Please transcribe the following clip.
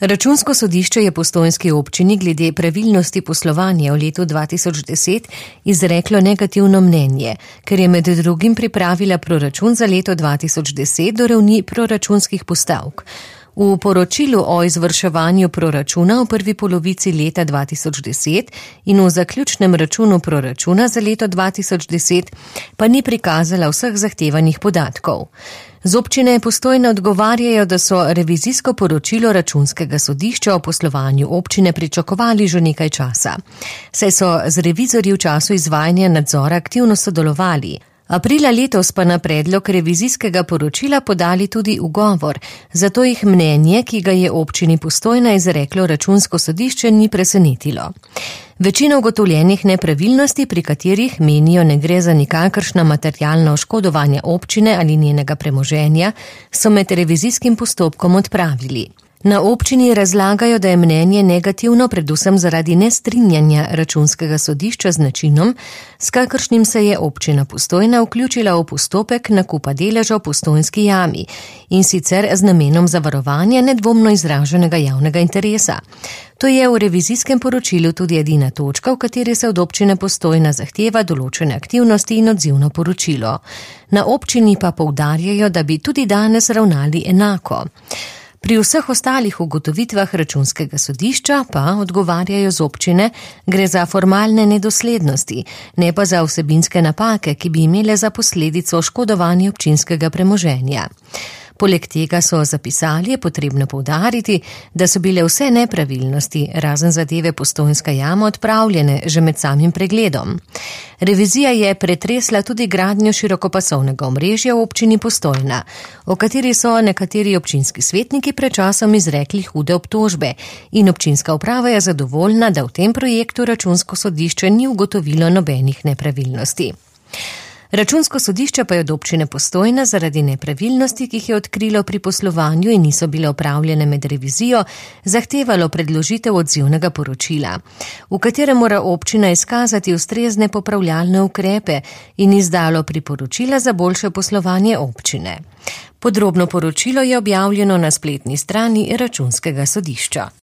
Računsko sodišče je postojnski občini glede pravilnosti poslovanja v letu 2010 izreklo negativno mnenje, ker je med drugim pripravila proračun za leto 2010 do ravni proračunskih postavk. V poročilu o izvrševanju proračuna v prvi polovici leta 2010 in v zaključnem računu proračuna za leto 2010 pa ni prikazala vseh zahtevanih podatkov. Z občine Postojna odgovarjajo, da so revizijsko poročilo Računskega sodišča o poslovanju občine pričakovali že nekaj časa. Saj so z revizorji v času izvajanja nadzora aktivno sodelovali. Aprila letos pa na predlog revizijskega poročila podali tudi ugovor, zato jih mnenje, ki ga je občini Postojna izreklo Računsko sodišče, ni presenetilo. Večina ugotovljenih nepravilnosti, pri katerih menijo ne gre za nikakršna materialna oškodovanja občine ali njenega premoženja, so med revizijskim postopkom odpravili. Na občini razlagajo, da je mnenje negativno predvsem zaradi nestrinjanja Računskega sodišča z načinom, s kakršnim se je občina Postojna vključila v postopek nakupa deleža v Postojnski jami in sicer z namenom zavarovanja nedvomno izraženega javnega interesa. To je v revizijskem poročilu tudi edina točka, v kateri se od občine Postojna zahteva določene aktivnosti in odzivno poročilo. Na občini pa poudarjajo, da bi tudi danes ravnali enako. Pri vseh ostalih ugotovitvah Računskega sodišča pa, odgovarjajo z občine, gre za formalne nedoslednosti, ne pa za vsebinske napake, ki bi imele za posledico oškodovanje občinskega premoženja. Poleg tega so zapisali, je potrebno poudariti, da so bile vse nepravilnosti, razen zadeve Postojnska jama, odpravljene že med samim pregledom. Revizija je pretresla tudi gradnjo širokopasovnega omrežja v občini Postojna, o kateri so nekateri občinski svetniki pred časom izrekli hude obtožbe in občinska uprava je zadovoljna, da v tem projektu Računsko sodišče ni ugotovilo nobenih nepravilnosti. Računsko sodišče pa je od občine Postojna zaradi nepravilnosti, ki jih je odkrilo pri poslovanju in niso bile opravljene med revizijo, zahtevalo predložitev odzivnega poročila, v katerem mora občina izkazati ustrezne popravljalne ukrepe in izdalo priporočila za boljše poslovanje občine. Podrobno poročilo je objavljeno na spletni strani Računskega sodišča.